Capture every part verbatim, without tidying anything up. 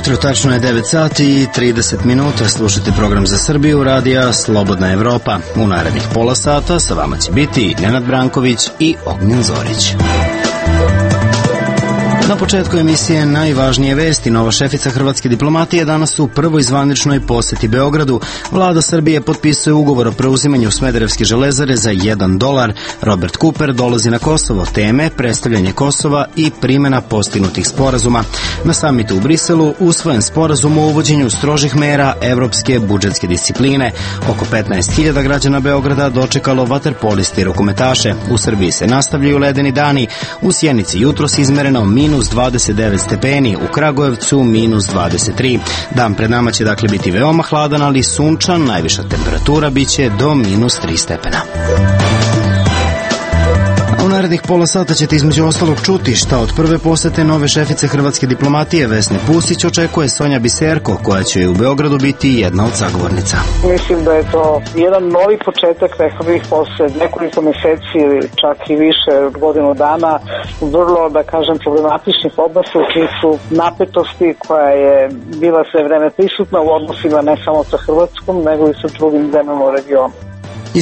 jutro, tačno je devet sati i trideset minuta. Slušajte program za Srbiju, radija Slobodna Evropa. U narednih pola sata sa vama će biti Nenad Branković i Ognjen Zorić. Na početku emisije najvažnije vesti. Nova šefica hrvatske diplomatije danas u prvoj zvaničnoj poseti Beogradu. Vlada Srbije potpisuje ugovor o preuzimanju Smederevske železare za jedan dolar. Robert Cooper dolazi na Kosovo. Teme, predstavljanje Kosova i primjena postignutih sporazuma. Na samitu u Briselu usvojen sporazum o uvođenju strožih mera evropske budžetske discipline. Oko petnaest hiljada građana Beograda dočekalo vaterpoliste i rukometaše. U Srbiji se nastavljaju ledeni dani. U Sjenici jutros izmereno minus dvadeset devet stepeni, u Kragujevcu minus dvadeset tri. Dan pred nama će dakle biti veoma hladan, ali sunčan, najviša temperatura biće do minus tri stepena. U narednih pola sata ćete između ostalog čuti šta od prve posete nove šefice hrvatske diplomatije Vesne Pusić očekuje Sonja Biserko, koja će u Beogradu biti jedna od sagovornica. Mislim da je to jedan novi početak, rekao bih, posle nekoliko meseci ili čak i više od godinu dana, vrlo, da kažem, problematičnih odnosa u čiji su napetosti koja je bila sve vreme prisutna u odnosima ne samo sa Hrvatskom, nego i sa drugim zemljama u regionu.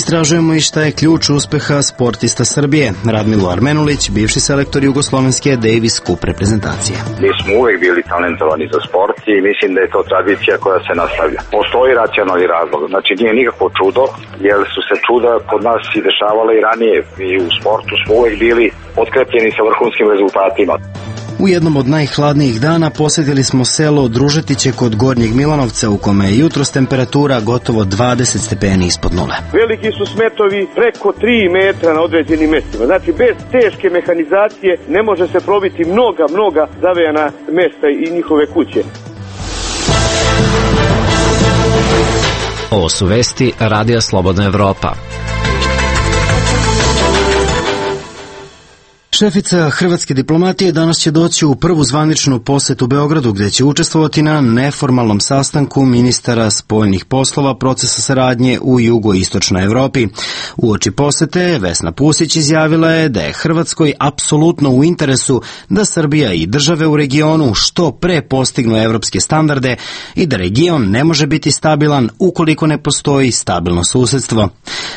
Istražujemo i šta je ključ uspeha sportista Srbije. Radmilo Armenulić, bivši selektor jugoslovenske Davis Cup reprezentacije. Mi smo uvek bili talentovani za sport i mislim da je to tradicija koja se nastavlja. Postoji racionalni razlog, znači nije nikakvo čudo, jer su se čuda kod nas i dešavala i ranije. I u sportu smo uvek bili potkrepljeni sa vrhunskim rezultatima. U jednom od najhladnijih dana posjetili smo selo Družetiće kod Gornjeg Milanovca, u kome je jutros temperatura gotovo dvadeset stepeni ispod nule. Veliki su smetovi preko tri metra na određenim mestima. Znači, bez teške mehanizacije ne može se probiti mnoga, mnoga zavejana mesta i njihove kuće. Ovo su vesti Radija Slobodna Evropa. Šefica hrvatske diplomatije danas će doći u prvu zvaničnu posetu Beogradu, gdje će učestvovati na neformalnom sastanku ministara spoljnih poslova procesa saradnje u jugoistočnoj Evropi. Uoči posete Vesna Pusić izjavila je da je Hrvatskoj apsolutno u interesu da Srbija i države u regionu što pre postignu evropske standarde i da region ne može biti stabilan ukoliko ne postoji stabilno susedstvo.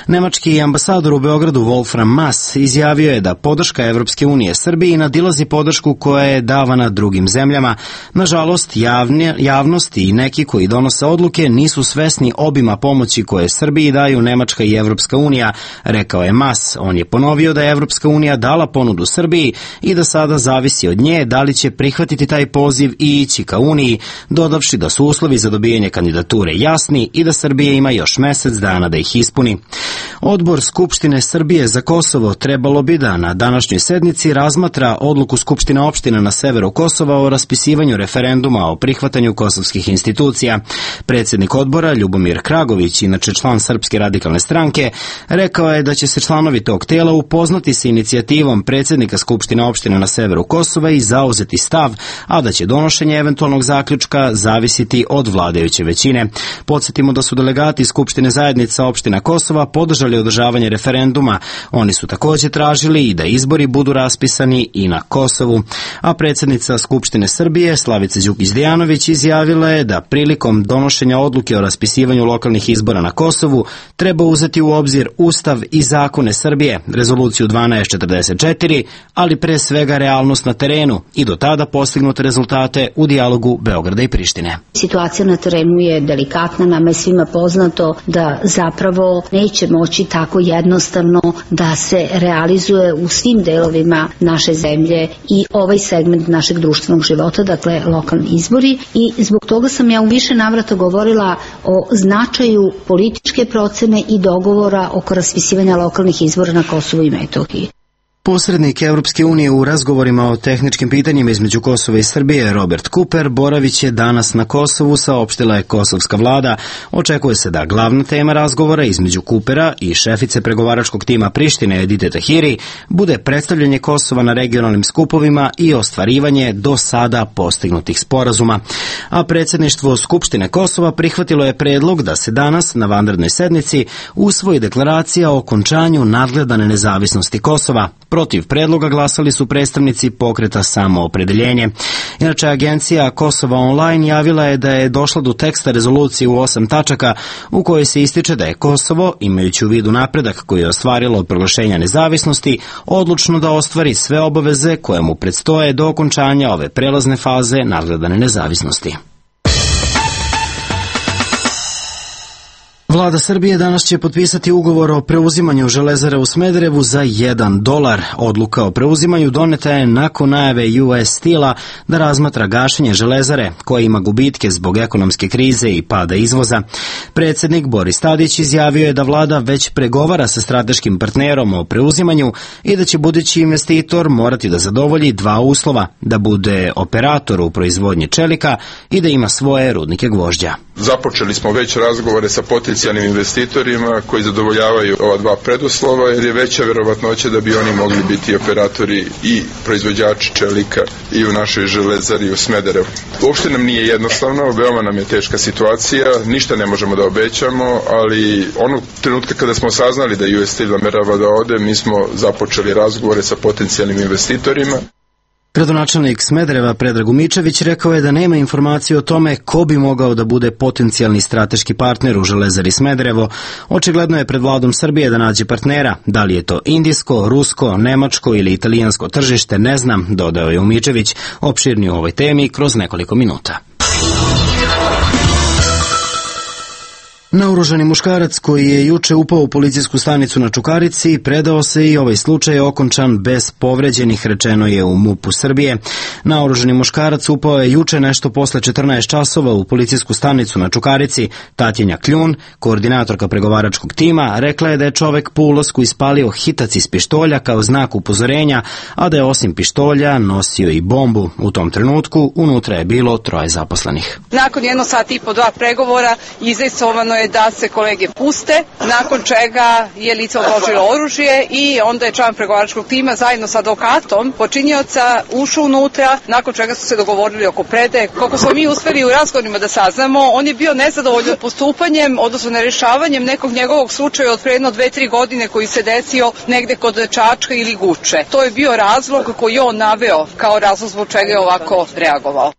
Nemački ambasador u Beogradu Wolfram Maas izjavio je da podrška Evropske unije Srbiji nadilazi podršku koja je davana drugim zemljama. Nažalost, javne, javnost i neki koji donose odluke nisu svesni obima pomoći koje Srbiji daju Nemačka i Evropska unija, rekao je Maas. On je ponovio da je Evropska unija dala ponudu Srbiji i da sada zavisi od nje da li će prihvatiti taj poziv i ići ka Uniji, dodavši da su uslovi za dobijanje kandidature jasni i da Srbija ima još mesec dana da ih ispuni. Odbor Skupštine Srbije za Kosovo trebalo bi da na današnjoj sednici razmatra odluku Skupštine opštine na severu Kosova o raspisivanju referenduma o prihvatanju kosovskih institucija. Predsjednik odbora Ljubomir Kragović, inače član Srpske radikalne stranke, rekao je da će se članovi tog tela upoznati sa inicijativom predsjednika Skupštine opštine na severu Kosova i zauzeti stav, a da će donošenje eventualnog zaključka zavisiti od vladajuće većine. Podsjetimo da su delegati Skupštine zajednica opština Kosova podržali održavanje referenduma. Oni su također tražili i da izbori budu raspisani i na Kosovu. A predsjednica Skupštine Srbije Slavica Đukić-Dejanović izjavila je da prilikom donošenja odluke o raspisivanju lokalnih izbora na Kosovu treba uzeti u obzir Ustav i zakone Srbije, rezoluciju dvanaest četrdeset četiri, ali pre svega realnost na terenu i do tada postignute rezultate u dijalogu Beograda i Prištine. Situacija na terenu je delikatna, nama je svima poznato da zapravo neće moći tako jednostavno da se realizuje u svim delovima naše zemlje i ovaj segment našeg društvenog života, dakle lokalni izbori, i zbog toga sam ja u više navrata govorila o značaju političke procene i dogovora oko raspisivanja lokalnih izbora na Kosovu i Metohiji. Posrednik Evropske unije u razgovorima o tehničkim pitanjima između Kosova i Srbije, Robert Cooper, boravit će danas na Kosovu, saopštila je kosovska vlada. Očekuje se da glavna tema razgovora između Coopera i šefice pregovaračkog tima Prištine Edite Tahiri bude predstavljanje Kosova na regionalnim skupovima i ostvarivanje do sada postignutih sporazuma. A predsjedništvo Skupštine Kosova prihvatilo je predlog da se danas na vanrednoj sednici usvoji deklaracija o okončanju nadgledane nezavisnosti Kosova. Protiv predloga glasali su predstavnici pokreta Samoopredeljenje. Inače, agencija Kosova Online javila je da je došla do teksta rezolucije u osam tačaka u kojoj se ističe da je Kosovo, imajući u vidu napredak koji je ostvarilo od proglašenja nezavisnosti, odlučno da ostvari sve obaveze koje mu predstoje do okončanja ove prelazne faze nadgledane nezavisnosti. Vlada Srbije danas će potpisati ugovor o preuzimanju Železare u Smederevu za jedan dolar. Odluka o preuzimanju doneta je nakon najave U S Steel-a da razmatra gašenje Železare, koja ima gubitke zbog ekonomske krize i pada izvoza. Predsednik Boris Tadić izjavio je da vlada već pregovara sa strateškim partnerom o preuzimanju i da će budući investitor morati da zadovolji dva uslova, da bude operator u proizvodnji čelika i da ima svoje rudnike gvožđa. Započeli smo već razgovore sa potencijalnim investitorima koji zadovoljavaju ova dva preduslova, jer je veća verovatnoća da bi oni mogli biti operatori i proizvođači čelika i u našoj Železari u Smederevu. Uopšte nam nije jednostavno, veoma nam je teška situacija, ništa ne možemo da obećamo, ali onog trenutka kada smo saznali da U S Steel namerava da ode, mi smo započeli razgovore sa potencijalnim investitorima. Gradonačelnik Smedereva Predrag Umičević rekao je da nema informacije o tome ko bi mogao da bude potencijalni strateški partner u Železari Smederevo. Očigledno je pred vladom Srbije da nađe partnera. Da li je to indijsko, rusko, nemačko ili italijansko tržište, ne znam, dodao je Umičević. Opširnije o ovoj temi kroz nekoliko minuta. Naoružani muškarac koji je juče upao u policijsku stanicu na Čukarici predao se i ovaj slučaj je okončan bez povređenih, rečeno je u MUP-u Srbije. Naoružani muškarac upao je juče nešto posle četrnaest časova u policijsku stanicu na Čukarici. Tatjana Kljun, koordinatorka pregovaračkog tima, rekla je da je čovek po ulasku ispalio hitac iz pištolja kao znak upozorenja, a da je osim pištolja nosio i bombu. U tom trenutku unutra je bilo troje zaposlenih. Nakon jedno sat i po dva pregovora izajsovano je da se kolege puste, nakon čega je lice odložilo oružje i onda je član pregovaračkog tima zajedno sa advokatom počinioca ušao unutra, nakon čega su se dogovorili oko predaje. Kako smo mi uspeli u razgovorima da saznamo, on je bio nezadovoljan postupanjem, odnosno nerešavanjem nekog njegovog slučaja od pre jedno dve, tri godine koji se desio negde kod Čačka ili Guče. To je bio razlog koji je on naveo kao razlog zbog čega je ovako reagovao.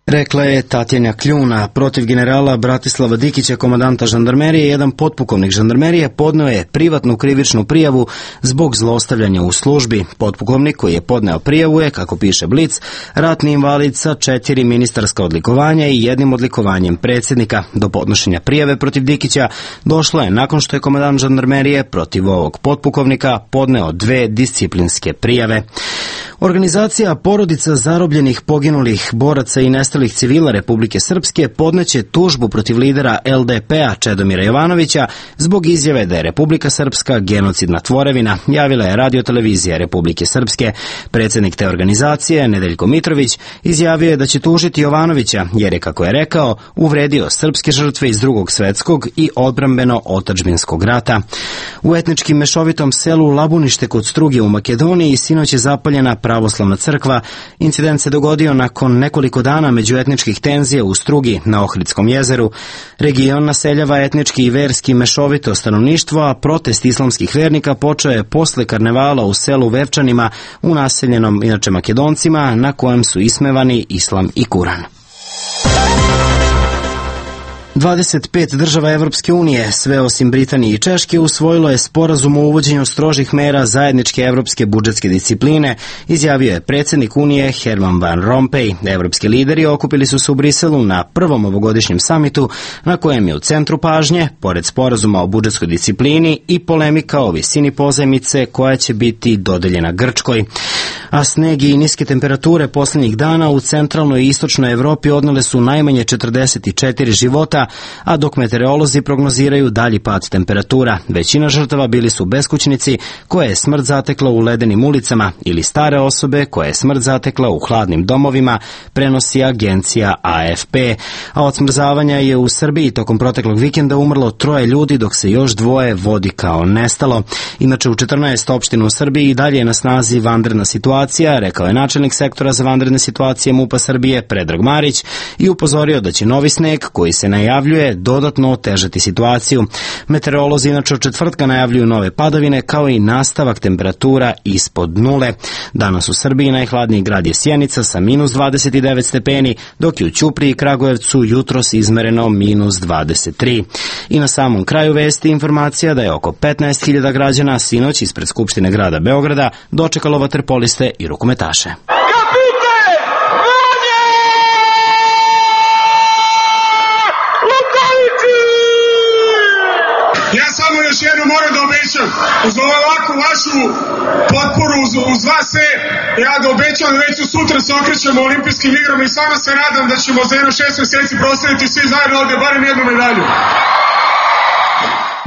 Rekla je Tatjana Kljuna. Protiv generala Bratislava Dikića, komandanta žandarmerije, jedan potpukovnik žandarmerije podneo je privatnu krivičnu prijavu zbog zlostavljanja u službi. Potpukovnik koji je podneo prijavu je, kako piše Blic, ratni invalid sa četiri ministarska odlikovanja i jednim odlikovanjem predsjednika. Do podnošenja prijave protiv Dikića došlo je nakon što je komandant žandarmerije protiv ovog potpukovnika podneo dve disciplinske prijave. Organizacija porodica zarobljenih, poginulih boraca i nestalih civila Republike Srpske podneće tužbu protiv lidera L D P-a Čedomira Jovanovića zbog izjave da je Republika Srpska genocidna tvorevina, javila je radiotelevizija Republike Srpske. Predsjednik te organizacije, Nedeljko Mitrović, izjavio je da će tužiti Jovanovića jer je, kako je rekao, uvredio srpske žrtve iz drugog svetskog i odbrambeno-otadžbinskog rata. U etnički mešovitom selu Labunište kod Struge u Makedoniji sinoć je zapaljena pravoslavna crkva. Incident se dogodio nakon nekoliko dana međuetničkih tenzija u Strugi na Ohridskom jezeru. Region naseljava etnički i verski mešovito stanovništvo, a protest islamskih vernika počeo je posle karnevala u selu Vevčanima, u naseljenom inače Makedoncima, na kojem su ismevani islam i Kuran. dvadeset pet država Evropske unije, sve osim Britanije i Češke, usvojilo je sporazum o uvođenju strožih mera zajedničke evropske budžetske discipline, izjavio je predsjednik Unije Herman Van Rompuy. Evropski lideri okupili su se u Briselu na prvom ovogodišnjem samitu, na kojem je u centru pažnje, pored sporazuma o budžetskoj disciplini, i polemika o visini pozajmice koja će biti dodeljena Grčkoj. A sneg i niske temperature posljednjih dana u centralnoj i istočnoj Evropi odnele su najmanje četrdeset četiri života, a dok meteorolozi prognoziraju dalji pad temperatura. Većina žrtava bili su beskućnici koje je smrt zatekla u ledenim ulicama ili stare osobe koje je smrt zatekla u hladnim domovima, prenosi agencija A F P. A od smrzavanja je u Srbiji tokom proteklog vikenda umrlo troje ljudi, dok se još dvoje vodi kao nestalo. Inače, u četrnaest opština u Srbiji i dalje je na snazi vanredna situacija, rekao je načelnik sektora za vanredne situacije MUP-a Srbije Predrag Marić i upozorio da će novi sneg koji se najavljuje najavljuje dodatno otežati situaciju. Meteorolozi inače od četvrtka najavljuju nove padavine kao i nastavak temperatura ispod nule. Danas u Srbiji najhladniji grad je Sjenica sa minus dvadeset devet stepeni, dok je u Ćupriji i Kragujevcu jutros izmereno minus dvadeset tri. I na samom kraju vesti informacija da je oko petnaest hiljada građana sinoć ispred Skupštine grada Beograda dočekalo vaterpoliste i rukometaše. Ja samo još jedno moram da obećam, uz ovakvu vašu potporu, uz, uz vas sve, ja da obećam da već sutra se okrećemo olimpijskim igrama i samo se nadam da ćemo za jedno šest mjeseci proslaviti svi zajedno ovdje barem jednu medalju.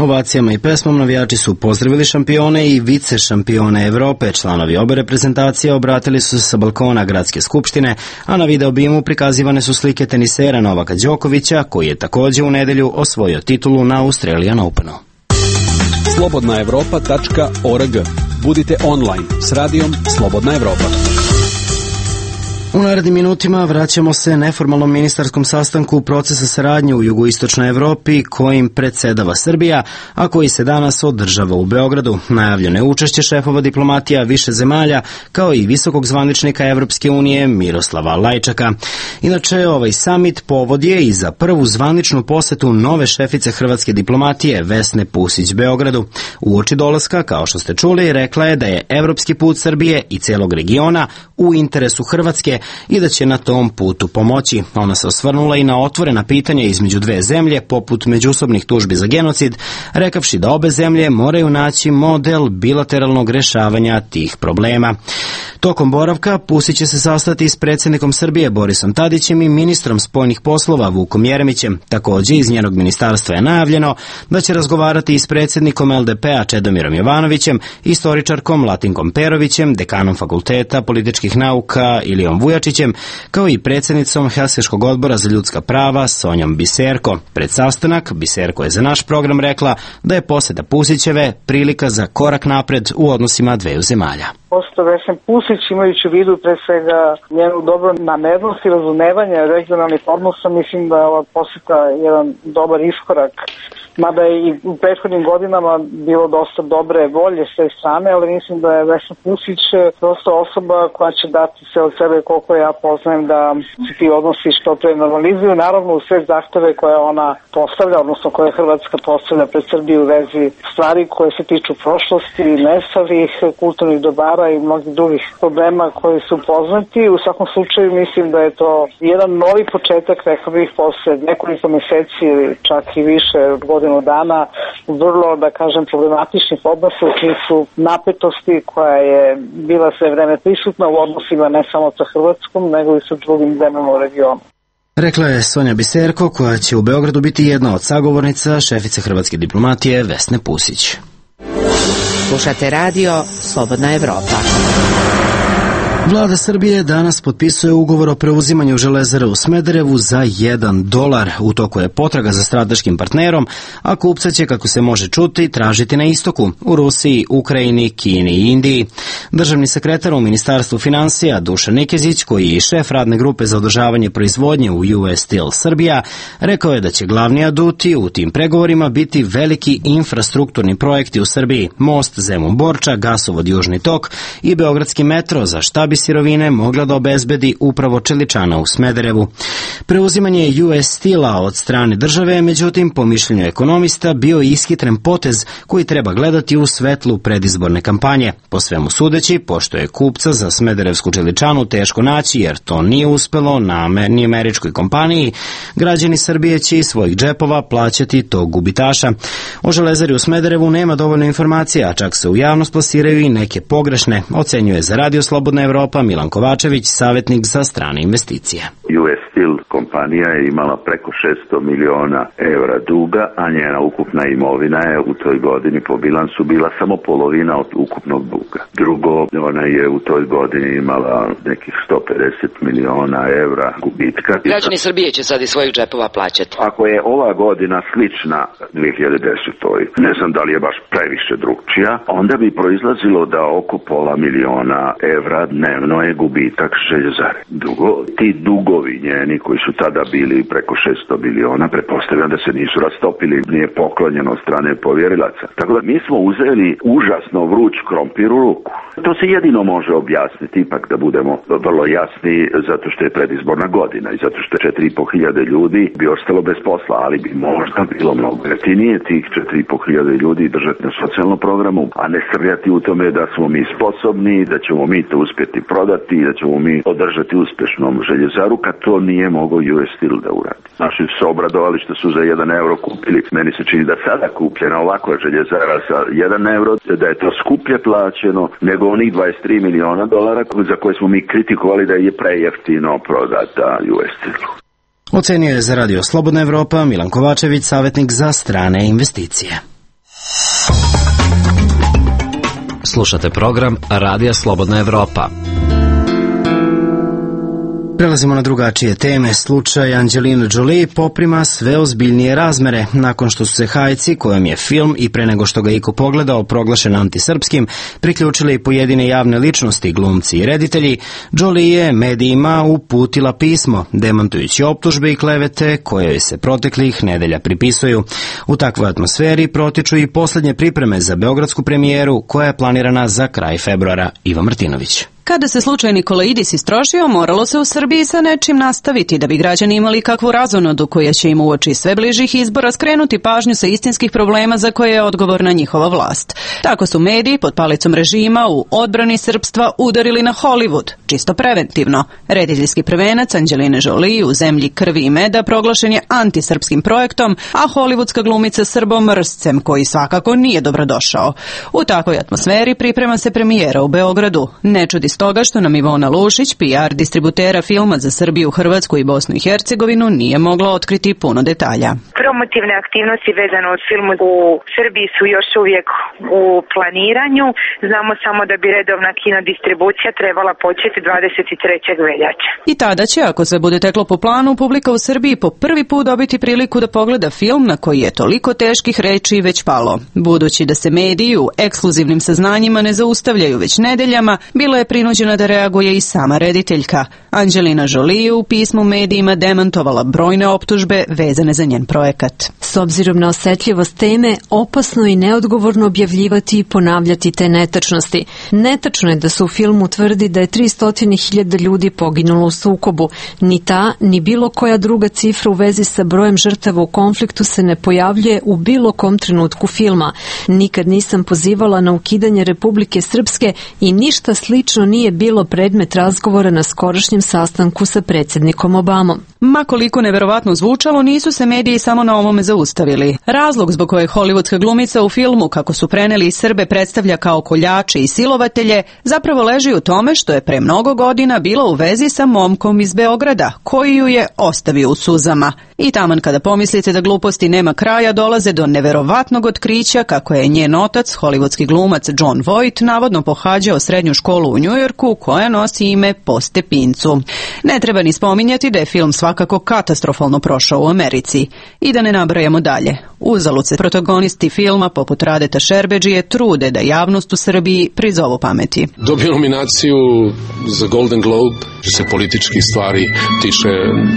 Ovacijama i pesmom navijači su pozdravili šampione i vice šampione Evrope. Članovi obe reprezentacije obratili su se sa balkona Gradske skupštine, a na video bimu prikazivane su slike tenisera Novaka Đokovića, koji je takođe u nedelju osvojio titulu na Australian Openu. slobodna evropa tačka org. Budite online s radijom Slobodna Evropa. U narednim minutima vraćamo se neformalnom ministarskom sastanku procesa saradnje u jugoistočnoj Evropi kojim predsedava Srbija, a koji se danas održava u Beogradu. Najavljeno je učešće šefova diplomatija više zemalja, kao i visokog zvaničnika Evropske unije Miroslava Lajčaka. Inače, ovaj samit povod je i za prvu zvaničnu posetu nove šefice hrvatske diplomatije Vesne Pusić Beogradu. Uoči dolaska, kao što ste čuli, rekla je da je evropski put Srbije i celog regiona u interesu Hrvatske i da će na tom putu pomoći. Ona se osvrnula i na otvorena pitanja između dve zemlje, poput međusobnih tužbi za genocid, rekavši da obe zemlje moraju naći model bilateralnog rešavanja tih problema. Tokom boravka Pusić će se sastati s predsjednikom Srbije Borisom Tadićem i ministrom spoljnih poslova Vukom Jeremićem. Takođe, iz njenog ministarstva je najavljeno da će razgovarati i s predsjednikom el de pe a Čedomirom Jovanovićem, istoričarkom Latinkom Perovićem, dekanom Fakulteta političkih nauka Ilijom Vujačićem, kao i predsjednicom Helsinškog odbora za ljudska prava Sonjom Biserko. Pred sastanak Biserko je za naš program rekla da je poseta Pusićeve prilika za korak napred u odnosima dveju zemalja. Poseta Vesne Pusić, imajući u vidu pre svega njenu dobro namernost i razumevanje regionalnih odnosa, mislim da je ova poseta jedan dobar iskorak. Mada je i u prethodnim godinama bilo dosta dobre volje s te strane, ali mislim da je Vesna Pusić prosto osoba koja će dati sve od sebe, koliko ja poznajem, da se ti odnosi što pre normalizuju. Naravno, u sve zahteve koje ona postavlja, odnosno koje Hrvatska postavlja pred Srbiju u vezi stvari koje se tiču prošlosti, nestalih, kulturnih dobara i mnogih drugih problema koji su poznati. U svakom slučaju mislim da je to jedan novi početak, rekao bih, posle nekoliko meseci ili čak i više godina dana, vrlo, da kažem, problematičnih odnosa u smislu napetosti koja je bila sve vreme prisutna u odnosima ne samo sa Hrvatskom, nego i sa drugim zemljama u regionu. Rekla je Sonja Biserko, koja će u Beogradu biti jedna od sagovornica šefice hrvatske diplomatije Vesne Pusić. Slušate radio Slobodna Evropa. Vlada Srbije danas potpisuje ugovor o preuzimanju Železare u Smederevu za jedan dolar. U toku je potraga za strateškim partnerom, a kupca će, kako se može čuti, tražiti na istoku, u Rusiji, Ukrajini, Kini i Indiji. Državni sekretar u Ministarstvu finansija Dušan Nikezić, koji je i šef radne grupe za održavanje proizvodnje u U S Steel Srbija, rekao je da će glavni aduti u tim pregovorima biti veliki infrastrukturni projekti u Srbiji, most Zemun-Borča, gasovod Južni tok i beogradski metro, za šta bi sirovine mogla da obezbedi upravo čeličana u Smederevu. Preuzimanje U S Steela od strane države, međutim, po mišljenju ekonomista, bio ishitren potez koji treba gledati u svetlu predizborne kampanje. Po svemu sudeći, pošto je kupca za smederevsku čeličanu teško naći, jer to nije uspelo na ni američkoj kompaniji, građani Srbije će iz svojih džepova plaćati tog gubitaša. O Železari u Smederevu nema dovoljno informacija, a čak se u javnost plasiraju i neke pogrešne, ocenjuje za Radio Slobodna Evropa Milan Kovačević, savjetnik za strane investicije. U S Steel kompanija je imala preko šesto miliona evra duga, a njena ukupna imovina je u toj godini po bilansu bila samo polovina od ukupnog duga. Drugo, ona je u toj godini imala nekih sto pedeset miliona evra gubitka. Građani Srbije će sad iz svojih džepova plaćati. Ako je ova godina slična dve hiljade desetoj, ne znam da li je baš previše drugčija, onda bi proizlazilo da oko pola miliona evra dnevno je gubitak Željezare. Drugo, ti dugo dijelovi njeni koji su tada bili preko šesto miliona, pretpostavljam da se nisu rastopili, nije poklonjeno od strane povjerilaca. Tako da mi smo uzeli užasno vruć krompir u ruku. To se jedino može objasniti, ipak da budemo vrlo jasni, zato što je predizborna godina i zato što je četiri i po hiljade ljudi bi ostalo bez posla, ali bi možda bilo mnogo jeftinije tih četiri i po hiljade ljudi držati na socijalnom programu, a ne srljati u tome da smo mi sposobni, da ćemo mi to uspjeti prodati, da ćemo mi održati uspješnom željezaru, kad to nije mogao U S Steel da uradi. Naši su se obradovali što su za jedan euro kupili. Meni se čini da sada kupljena ovakva željezara sa jedan euro, da je to skuplje plaćeno nego onih dvadeset tri miliona dolara za koje smo mi kritikovali da je prejeftino prodata U S Steelu. Ocenio je za Radio Slobodna Evropa Milan Kovačević, savjetnik za strane investicije. Slušate program Radija Slobodna Evropa. Prelazimo na drugačije teme. Slučaj Angelina Jolie poprima sve ozbiljnije razmere. Nakon što su se hajci, kojom je film i pre nego što ga iko pogledao proglašen antisrpskim, priključili i pojedine javne ličnosti, glumci i reditelji, Jolie je medijima uputila pismo, demantujući optužbe i klevete koje se proteklih nedelja pripisuju. U takvoj atmosferi protiču i poslednje pripreme za beogradsku premijeru koja je planirana za kraj februara. Iva Martinović. Kada se slučaj Nikolaidis istrošio, moralo se u Srbiji sa nečim nastaviti da bi građani imali kakvu razonodu koja će im uoči sve bližih izbora skrenuti pažnju sa istinskih problema za koje je odgovorna njihova vlast. Tako su mediji pod palicom režima u odbrani srpstva udarili na Hollywood, čisto preventivno. Rediteljski prvenac Angelina Jolie u zemlji krvi i meda proglašen je antisrpskim projektom, a hollywoodska glumica srbomrscem koji svakako nije dobrodošao. U takvoj atmosferi priprema se premijera u Beogradu. Ne čudi stoga što nam Ivona Lušić, P R distributera filma za Srbiju, Hrvatsku i Bosnu i Hercegovinu, nije mogla otkriti puno detalja. Promotivne aktivnosti vezano od filmu u Srbiji su još uvijek u planiranju. Znamo samo da bi redovna kinodistribucija trebala početi dvadeset trećeg veljače. I tada će, ako se bude teklo po planu, publika u Srbiji po prvi put dobiti priliku da pogleda film na koji je toliko teških reči već palo. Budući da se mediji u ekskluzivnim saznanjima ne zaustavljaju već nedeljama, bilo je prinuđena da reaguje i sama rediteljka. Angelina Jolie u pismu medijima demantovala brojne optužbe vezane za njen projekat. S obzirom na osetljivost teme, opasno i neodgovorno objavljivati i ponavljati te netačnosti. Netačno je da se u filmu tvrdi da je tristo hiljada ljudi poginulo u sukobu. Ni ta, ni bilo koja druga cifra u vezi sa brojem žrtava u konfliktu se ne pojavljuje u bilo kom trenutku filma. Nikad nisam pozivala na ukidanje Republike Srpske i ništa slično nije bilo predmet razgovora na skorašnjem sastanku sa predsjednikom Obamom. Ma koliko neverovatno zvučalo, nisu se mediji samo na ovome zaustavili. Razlog zbog kojeg hollywoodska glumica u filmu, kako su preneli Srbe, predstavlja kao koljače i silovatelje, zapravo leži u tome što je pre mnogo godina bila u vezi sa momkom iz Beograda, koji ju je ostavio u suzama. I taman kada pomislite da gluposti nema kraja, dolaze do neverovatnog otkrića kako je njen otac, hollywoodski glumac Jon Voight, navodno pohađao srednju školu u Njujorku koja nosi ime po stepincu. Ne treba ni spominjati da je film svakako katastrofalno prošao u Americi. I da ne nabrajamo dalje. Uzalud se protagonisti filma poput Radeta Šerbedžije trude da javnost u Srbiji prizovu pameti. Dobio nominaciju za Golden Globe, što se političkih stvari tiče,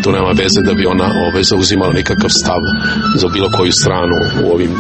to nema veze da bi ona ove zauzimala nikakav stav za bilo koju stranu u ovim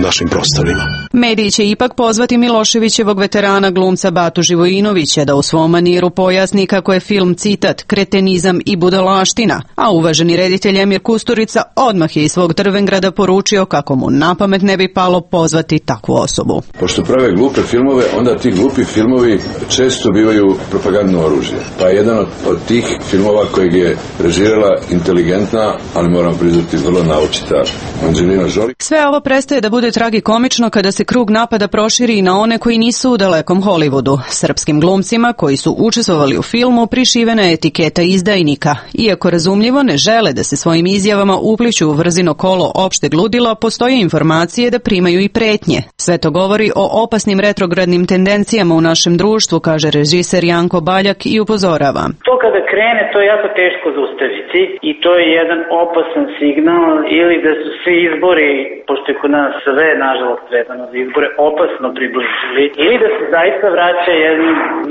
našim prostorima. Mediji će ipak pozvati Miloševićevog veterana glumca Batu Živojinovića da u svom maniru pojasni kako je film citat, kretenizam i budalaština, a uvaženi reditelj Emir Kusturica odmah je iz svog Drvengrada poručio kako mu na pamet ne bi palo pozvati takvu osobu. Pošto prave glupe filmove, onda ti glupi filmovi često bivaju propagandno oružje. Pa jedan od, od tih filmova kojeg je režirala inteligentna, ali moram priznati vrlo naučita Angelina Jolie. Sve ovo prestaje da bude tragikomično kada se krug napada proširi i na one koji nisu u dalekom Hollywoodu. Srpskim glumcima koji su učestvovali u filmu prišivena je etiketa izdajnika. Iako razumljivo ne žele da se svojim izjavama upliću u vrzino kolo opšteg ludila, postoje informacije da primaju i pretnje. Sve to govori o opasnim retrogradnim tendencijama u našem društvu, kaže režiser Janko Baljak i upozorava. To kada krene, to je jako teško zaustaviti i to je jedan opasan signal ili da su svi izbori, pošto je kod nas sve, nažalost, vezano za izbore, opasno približili, ili da se zaista vraća jedno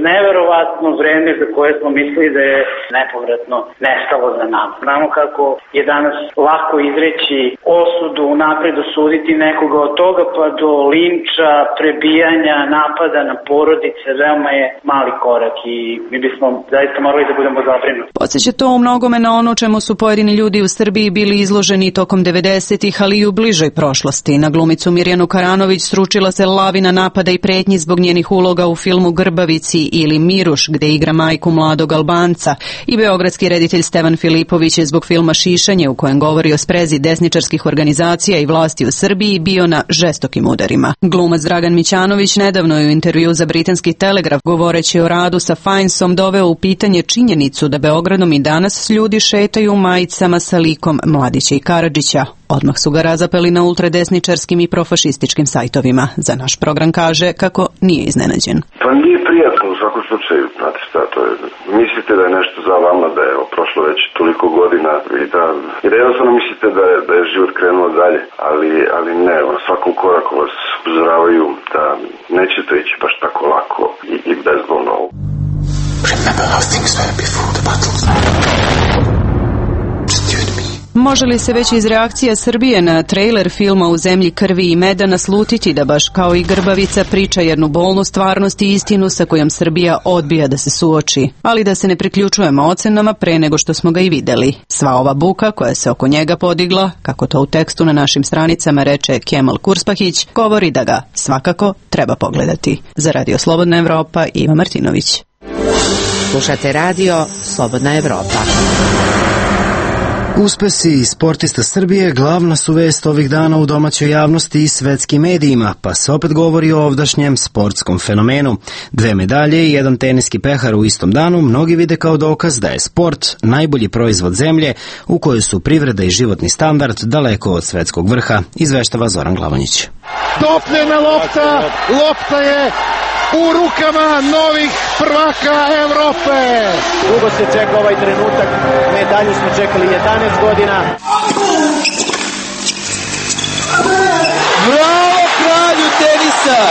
neverovatno vreme za koje smo mislili da je nepovratno nestalo za nama. Znamo kako je danas lako izreći osudu, napred osuditi nekoga od toga pa do linča, prebijanja, napada na porodice, veoma je mali korak i mi bismo zaista morali da budemo zabrinuti. Podsjeća to u mnogome na ono čemu su pojedini ljudi u Srbiji bili izloženi tokom devedesetih, ali i u bližoj prošlosti. Na glumicu Mirjanu Karanović sručila se lavina napada i pretnji zbog njenih uloga u filmu Grbavici ili Miruš, gde igra majku mladog Albanca, i beogradski reditelj Stevan Filipović je zbog filma Šišanje, u kojem govori o sprezi desničarskih organizacija i vlasti u Srbiji, bio na žestokim udarima. Glumac Dragan Mićanović nedavno je u intervju za britanski Telegraf, govoreći o radu sa Finesom, doveo u pitanje činjenicu da Beogradom i danas ljudi šetaju u majicama sa likom Mladića i Karadžića. Odmah su ga razapeli na ultradesničarskim i profašističkim sajtovima. Za naš program kaže kako nije iznenađen. Pa nije prijatno u svakom slučaju, znate šta, to je, mislite da je nešto za vama, da je prošlo već toliko godina i da, i da jednostavno mislite da je, da je život krenuo dalje, ali, ali ne, na svakom koraku vas upozoravaju da neće to ići baš tako lako i, i bezbolno. Remember how things were before the battle. Može li se već iz reakcija Srbije na trailer filma U zemlji krvi i meda naslutiti da baš kao i Grbavica priča jednu bolnu stvarnost i istinu sa kojom Srbija odbija da se suoči, ali da se ne priključujemo ocenama pre nego što smo ga i videli. Sva ova buka koja se oko njega podigla, kako to u tekstu na našim stranicama reče Kemal Kurspahić, govori da ga svakako treba pogledati. Za Radio Slobodna Evropa, Iva Martinović. Slušate radio Slobodna Evropa. Uspesi sportista Srbije glavna su vest ovih dana u domaćoj javnosti i svetskim medijima, pa se opet govori o ovdašnjem sportskom fenomenu. Dve medalje i jedan teniski pehar u istom danu mnogi vide kao dokaz da je sport najbolji proizvod zemlje u kojoj su privreda i životni standard daleko od svetskog vrha, izveštava Zoran Glavonjić. Topljena lopta, lopta je u rukama novih prvaka Evrope. Dugo se čeka ovaj trenutak, medalju smo čekali jedanaest godina. Bravo kralju tenisa!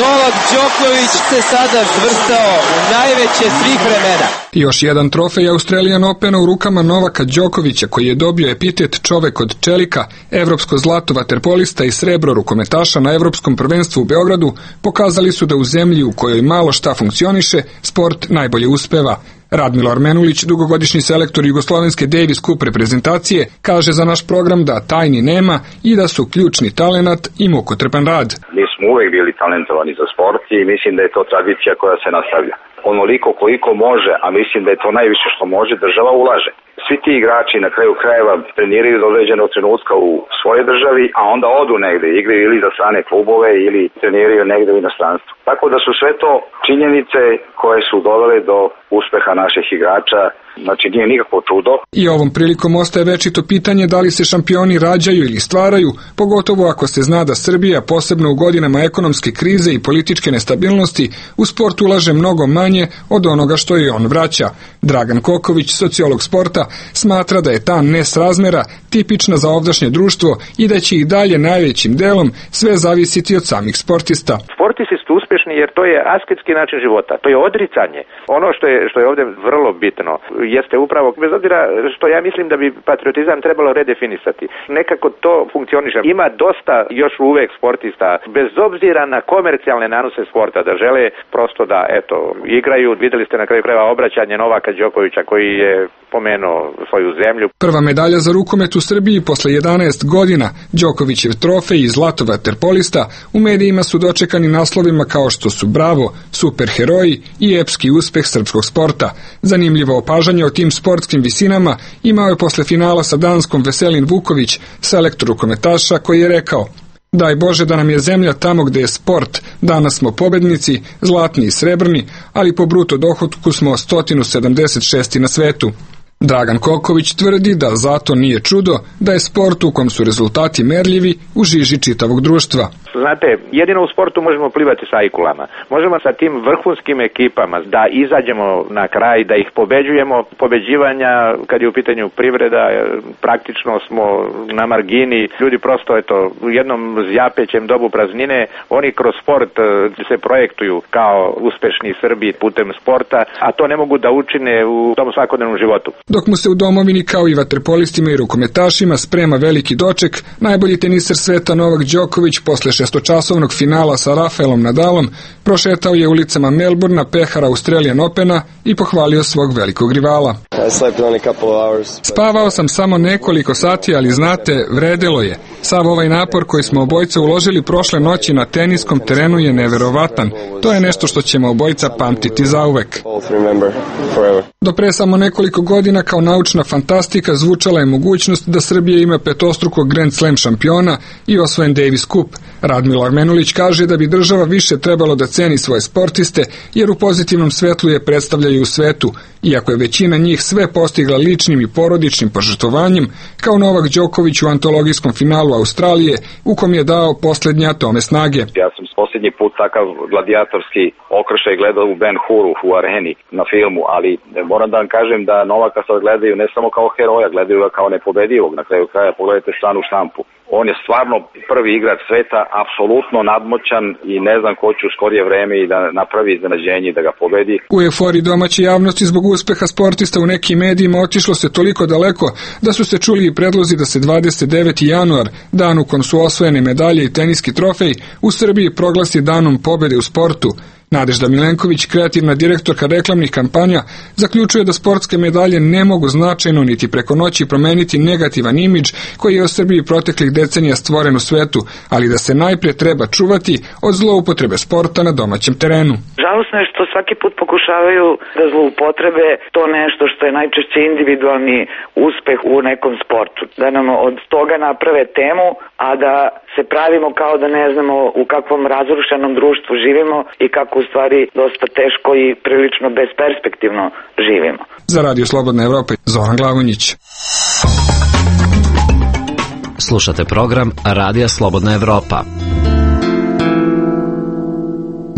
Novak Đoković se sada zvrstao u najveće svih vremena. Još jedan trofej Australian Opena u rukama Novaka Đokovića, koji je dobio epitet čovek od čelika, evropsko zlato vaterpolista i srebro rukometaša na evropskom prvenstvu u Beogradu, pokazali su da u zemlji u kojoj malo šta funkcioniše, sport najbolje uspeva. Radmilo Armenulić, dugogodišnji selektor jugoslovenske Davis Cup reprezentacije, kaže za naš program da tajni nema i da su ključni talenat i mukotrpan rad. Mi smo uvek bili talentovani za sport i mislim da je to tradicija koja se nastavlja. Onoliko koliko može, a mislim da je to najviše što može, država ulaže. Svi ti igrači na kraju krajeva treniraju do određenog trenutka u svojoj državi, a onda odu negde, igraju ili za strane klubove ili treniraju negde u inostranstvu. Tako da su sve to činjenice koje su dovele do uspeha naših igrača. Znači nije nikakvo čudo. I ovom prilikom ostaje večito pitanje da li se šampioni rađaju ili stvaraju, pogotovo ako se zna da Srbija, posebno u godinama ekonomske krize i političke nestabilnosti, u sport ulaže mnogo manje od onoga što je on vraća. Dragan Koković, sociolog sporta, smatra da je ta nesrazmera tipična za ovdašnje društvo i da će i dalje najvećim delom sve zavisiti od samih sportista. Sportisti su uspješni jer to je asketski način života, to je odricanje. Ono što je, što je ovdje vrlo bitno jeste upravo, bez obzira što ja mislim da bi patriotizam trebalo redefinisati. Nekako to funkcioniše. Ima dosta još uvek sportista, bez obzira na komercijalne nanose sporta, da žele prosto da, eto, igraju. Videli ste na kraju krajeva obraćanje Novaka Đokovića koji je pomenuo svoju zemlju. Prva medalja za rukomet u Srbiji posle jedanaest godina, Đokovićev trofej i zlato vaterpolista, u medijima su dočekani naslovima kao što su Bravo, superheroji i epski uspeh srpskog sporta. Zanimljivo opažanje o tim sportskim visinama imao je posle finala sa Danskom Veselin Vuković, selektor rukometaša, koji je rekao: daj Bože da nam je zemlja tamo gde je sport, danas smo pobednici, zlatni i srebrni, ali po bruto dohotku smo sto sedamdeset šesti na svetu. Dragan Koković tvrdi da zato nije čudo da je sport u kom su rezultati merljivi u žiži čitavog društva. Znate, jedino u sportu možemo plivati sa ajkulama. Možemo sa tim vrhunskim ekipama da izađemo na kraj, da ih pobeđujemo. Pobeđivanja, kad je u pitanju privreda, praktično smo na margini. Ljudi prosto, eto, u jednom zjapećem dobu praznine, oni kroz sport se projektuju kao uspešni Srbi putem sporta, a to ne mogu da učine u tom svakodnevnom životu. Dok mu se u domovini kao i vaterpolistima i rukometašima sprema veliki doček, najbolji teniser sveta Novak Đoković posle šestočasovnog finala sa Rafaelom Nadalom prošetao je ulicama Melbourna, pehara Australian Opena i pohvalio svog velikog rivala. Spavao sam samo nekoliko sati, ali znate, vredelo je. Sav ovaj napor koji smo obojica uložili prošle noći na teniskom terenu je neverovatan. To je nešto što ćemo obojica pamtiti zauvek. Do pre samo nekoliko godina kao naučna fantastika zvučala je mogućnost da Srbija ima petostrukog Grand Slam šampiona i osvojen Davis Cup. Radmilo Armenulić kaže da bi država više trebalo da ceni svoje sportiste, jer u pozitivnom svetlu je predstavljaju u svetu, iako je većina njih sve postigla ličnim i porodičnim požrtvovanjem, kao Novak Đoković u antologijskom finalu Australije, u kom je dao poslednje atome snage. Ja sam posljednji put takav gladijatorski okršaj gledao u Ben Huru u areni na filmu, ali moram da vam kažem da Novaka sad gledaju ne samo kao heroja, gledaju ga kao nepobedivog. Na kraju kraja pogledajte stranu štampu. On je stvarno prvi igrač sveta, apsolutno nadmoćan i ne znam ko će u skorije vreme i da napravi iznenađenje i da ga pobedi. U euforiji domaće javnosti zbog uspeha sportista u nekim medijima otišlo se toliko daleko da su se čuli i predlozi da se dvadeset deveti januar, dan u kom su osvojene medalje i teniski trofej, u Srbiji proglasi danom pobede u sportu. Nadežda Milenković, kreativna direktorka reklamnih kampanja, zaključuje da sportske medalje ne mogu značajno niti preko noći promeniti negativan imidž koji je u Srbiji proteklih decenija stvoren u svetu, ali da se najprije treba čuvati od zloupotrebe sporta na domaćem terenu. Žalosno je što svaki put pokušavaju da zloupotrebe to nešto što je najčešće individualni uspeh u nekom sportu. Da nam od toga naprave temu, a da se pravimo kao da ne znamo u kakvom razrušenom društvu živimo i kako u stvari dosta teško i prilično besperspektivno živimo. Za Radio Slobodna Evropa, Zoran Glavonjić. Slušate program Radija Slobodna Evropa.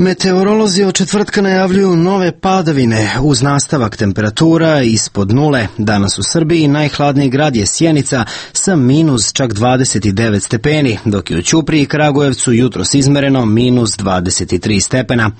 Meteorolozi od četvrtka najavljuju nove padavine uz nastavak temperatura ispod nule. Danas u Srbiji najhladniji grad je Sjenica sa minus čak dvadeset devet stepeni, dok je u Ćupriji i Kragujevcu jutros izmereno minus dvadeset tri stepena.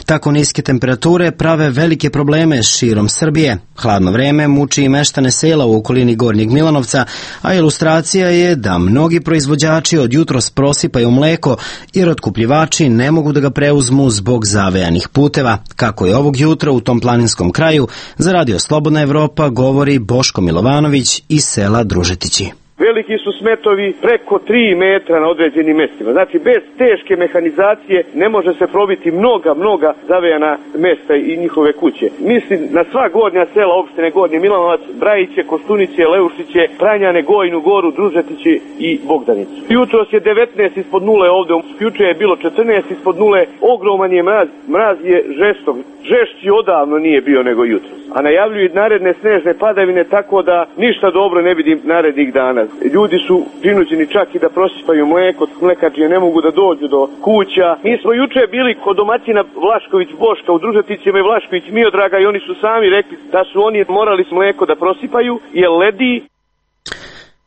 Tako niske temperature prave velike probleme širom Srbije. Hladno vreme muči i meštane sela u okolini Gornjeg Milanovca, a ilustracija je da mnogi proizvođači od jutros prosipaju mleko jer otkupljivači ne mogu da ga preuzmu zbog zavejanih puteva. Kako je ovog jutra u tom planinskom kraju, za Radio Slobodna Evropa govori Boško Milovanović iz sela Družetići. Veliki su smetovi preko tri metra na određenim mestima. Znači, bez teške mehanizacije ne može se probiti mnoga, mnoga zavejana mesta i njihove kuće. Mislim na sva gornja sela opštine Gornji Milanovac, Brajiće, Kostuniće, Leušiće, Pranjane, Gojnu Goru, Družetići i Bogdanicu. Jutros je devetnaest ispod nule ovde, juče je bilo četrnaest ispod nule, ogroman je mraz, mraz je žestok, žešći odavno nije bio nego jutros. A najavljuju i naredne snežne padavine, tako da ništa dobro ne vidim narednih dana. Ljudi su prinuđeni čak i da prosipaju mleko, mlekačije ne mogu da dođu do kuća. Mi smo juče bili kod domaćina Vlašković Boška u Družeticima i Vlašković Miodraga i oni su sami rekli da su oni morali mleko da prosipaju jer ledi.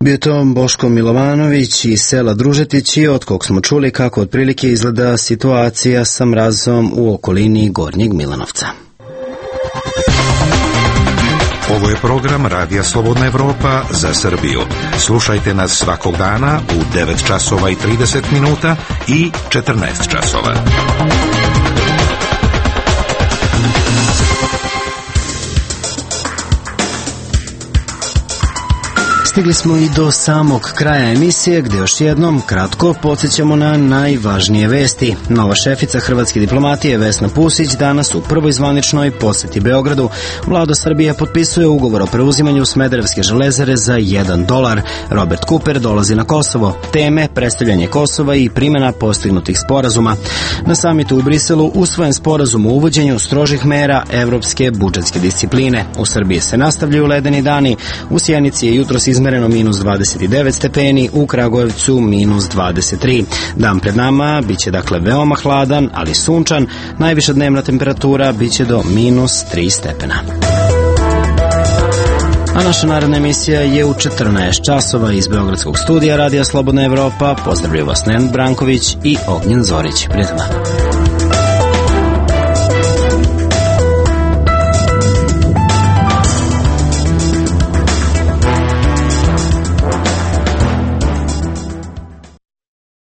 Bio to Boško Milovanović iz sela Družetići, od kog smo čuli kako otprilike izgleda situacija sa mrazom u okolini Gornjeg Milanovca. Ovo je program Radija Slobodna Evropa za Srbiju. Slušajte nas svakog dana u devet časova i trideset minuta i četrnaest časova. Stigli smo i do samog kraja emisije, gde još jednom kratko podsjećamo na najvažnije vesti. Nova šefica hrvatske diplomatije Vesna Pusić danas u prvoj zvaničnoj poseti Beogradu. Vlada Srbije potpisuje ugovor o preuzimanju Smederevske železare za jedan dolar. Robert Cooper dolazi na Kosovo. Teme predstavljanje Kosova i primjena postignutih sporazuma. Na samitu u Briselu usvojen sporazum o uvođenju strožih mera evropske budžetske discipline. U Srbiji se nastavljaju ledeni dani. U Sjenici je jutros izmereno izmereno minus dvadeset devet stepeni, u Kragujevcu minus dvadeset tri. Dan pred nama biće dakle veoma hladan, ali sunčan, najviša dnevna temperatura biće do minus tri stepena. A naša naredna emisija je u četrnaest časova iz Beogradskog studija Radija Slobodna Evropa. Pozdravljaju vas Nenad Branković i Ognjen Zorić. Prijatno.